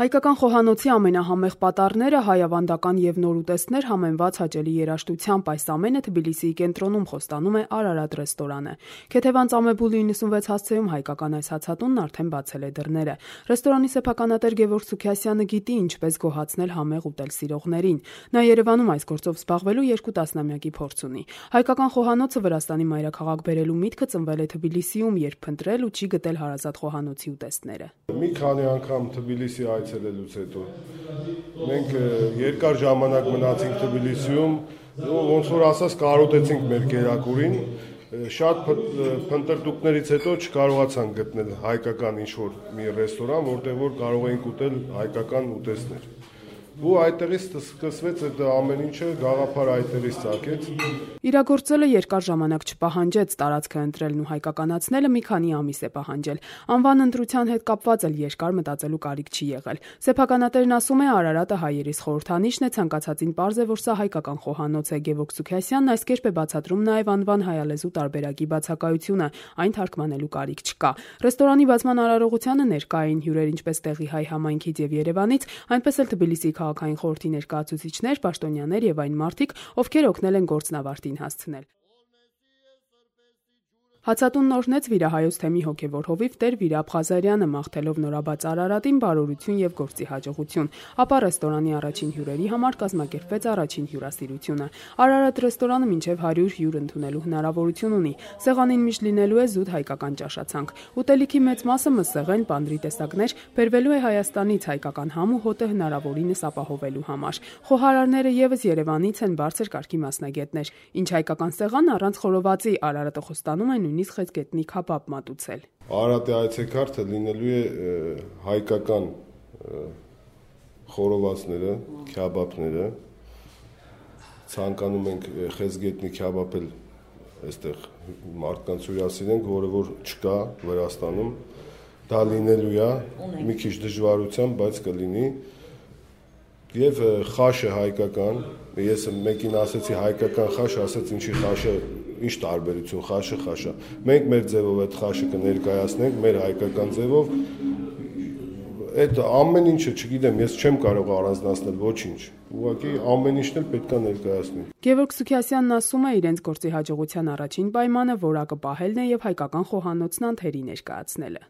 Հայկական խոհանոցի ամենահամեղ պատառները, հայավանդական և նոր ուտեստներ համեմված հաճելի երաժշտությամբ այս ամենը Թբիլիսիի կենտրոնում խոստանում է Արարատ ռեստորանը։ Քեթևան Ծամեբուլի 96 հասցեում հայկական այս հացատունն արդեն բացել է դռները։ Ռեստորանի սեփականատեր Գևորգ Սուքիասյանը գիտի ինչպես գոհացնել համեղ ուտել սիրողներին։ Նա Երևանում այս գործով զբաղվելու 2 տասնամյակի փորձ ունի։ Հայկական խոհանոցը Վրաստանի մայրաքաղաք բերելու միտքը ծնվել է Թբիլիսիում, երբ փնտրել ու չի գտել հարազատ խոհանոցի ուտեստները։ Մի քանի անգամ Թբիլիսի այցելելուց հետո մենք երկար ժամանակ մնացինք Թբիլիսիում, ոնց որ ասած կարոտեցինք մեր կերակուրին, շատ փնտրտուքներից հետո չկարողացանք գտնել հայկական ինչ-որ մի ռեստորան, որտեղ որ կարող էինք ուտել հայկական ուտեստներ։ Ու այդտեղից սկսվեց այդ ամեն ինչը, գաղափար այդտեղից ծագեց։ Իրագործելը երկար ժամանակ չպահանջեց, տարածքը ընտրելն ու հայկականացնելը մի քանի ամիս է պահանջել։ Անվան ընտրության հետ կապված էլ երկար մտածելու կարիք չի եղել։ Սեփականատերն ասում է, Արարատը հայերիս խորհրդանիշն է, ցանկացածին պարզ է, որ սա հայկական խոհանոց է։ Գևորգ Սուքիասյանն այս կերպ է բացատրում նաև անվան հայալեզու տարբերակի բացակայությունը, այն թարգմանելու կարիք չկա։ Ռեստորանի բացման արարողությանը ներկա էին հյուրեր ինչպես տեղի հայ համայնքից եւ Երևանից, այնպես էլ Թբիլիսիի քաղաքային խորհրդի ներկայացուցիչներ, պաշտոնյաներ եւ այն մարդիկ, ովքեր օգնել են գործնավարտին հասցնել։ Հացատունն օրհնեց վիրահայոց թեմի հոգևոր հովիվ Տեր Վիրապ Ղազարյանը, մաղթելով նորաբաց Արարատին բարօրություն եւ գործի հաջողություն, ապա ռեստորանի առաջին հյուրերի համար կազմակերպվեց առաջին հյուրասիրությունը։ Արարատ ռեստորանը մինչև 100 հյուր ընդունելու հնարավորություն ունի։ Սեղանին միշտ լինելու է զուտ հայկական ճաշացանկ։ Ուտելիքի մեծ մասը մսեղեն, պանրի տեսակներ բերվելու է Հայաստանից հայկական համ ու հոտը հնարավորինս ապահովելու համար։ Խոհարարները եւս Երևանից են, բարձր կարգի մասնագետներ։ Ինչ հայկական սեղան առանց խորովածի, Արարատը խոստանում է նույնիսկ խեցգետնի քաբաբ մատուցել։ Արարատի այցեքարտը լինելու է հայկական խորովածները, քյաբաբները, ցանկանում ենք խեցգետնի քյաբաբել այստեղ մարդկանց հյուրասիրենք, որը որ չկա Վրաստանում, դա լինելու է մի քիչ դժվարությամբ, բայց կլինի։ Եվ խաշը հայկական, ես մեկին ասեցի հայկական խաշ, ասեց ինչի խաշը, ինչ տարբերություն, խաշը խաշա։ Մենք մեր ձևով այդ խաշը կներկայացնենք, մեր հայկական ձևով, այդ ամեն ինչը, չգիտեմ, ես չեմ կարող առանձնացնել ոչինչ, ուղղակի ամեն ինչն էլ պետք է ներկայացնի։ Գևորգ Սուքիասյանն ասում է, իրենց գործի հաջողության առաջին պայմանը որակը պահելն է եւ հայկական խոհանոցն անթերի ներկայացնելը։